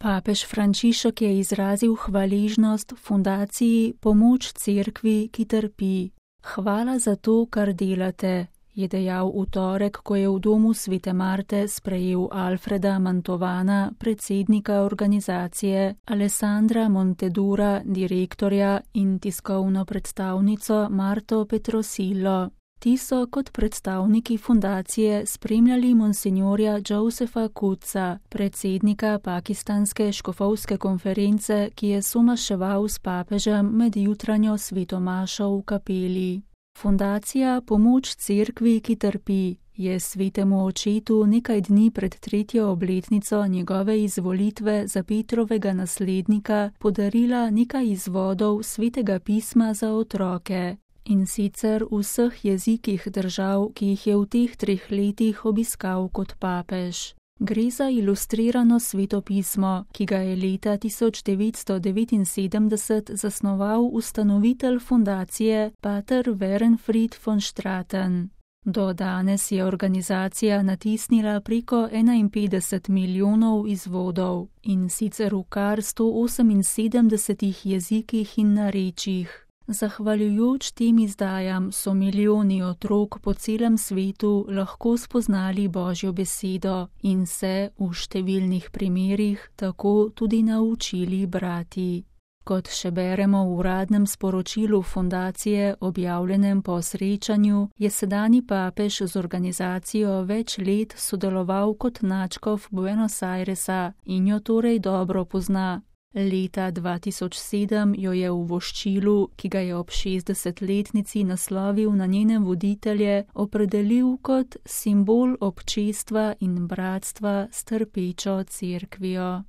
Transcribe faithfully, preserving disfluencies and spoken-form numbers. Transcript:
Papež Frančišek je izrazil hvaležnost fundaciji Pomoč cerkvi, ki trpi. Hvala za to, kar delate, je dejal v torek, ko je v domu Svete Marte sprejel Alfreda Mantovana, predsednika organizacije, Alessandra Montedura, direktorja, in tiskovno predstavnico Marto Petrosillo. Ti so kot predstavniki fundacije spremljali monsinjorja Josepha Kutsa, predsednika pakistanske škofovske konference, ki je somaševal s papežem med jutranjo svetomašo v kapeli. Fundacija Pomoč cerkvi, ki trpi, je svetemu očetu nekaj dni pred tretjo obletnico njegove izvolitve za Petrovega naslednika podarila nekaj izvodov svetega pisma za otroke. In sicer v vseh jezikih držav, ki jih je v teh treh letih obiskal kot papež. Gre za ilustrirano svetopismo, ki ga je leta tisoč devetsto devetinsedemdeset zasnoval ustanovitelj fundacije pater Werenfried von Straten. Do danes je organizacija natisnila preko enainpetdeset milijonov izvodov, in sicer v kar sto oseminsedemdesetih jezikih in narečjih. Zahvaljujoč tem izdajam so milijoni otrok po celem svetu lahko spoznali Božjo besedo in se v številnih primerih tako tudi naučili brati. Kot še beremo v uradnem sporočilu fundacije, objavljenem po srečanju, je sedanji papež z organizacijo več let sodeloval kot nadškof Buenos Airesa in jo torej dobro pozna. Leta dva tisoč sedem jo je v voščilu, ki ga je ob šestdesetletnici naslovil na njene voditelje, opredelil kot simbol občestva in bratstva s trpečo cerkvijo.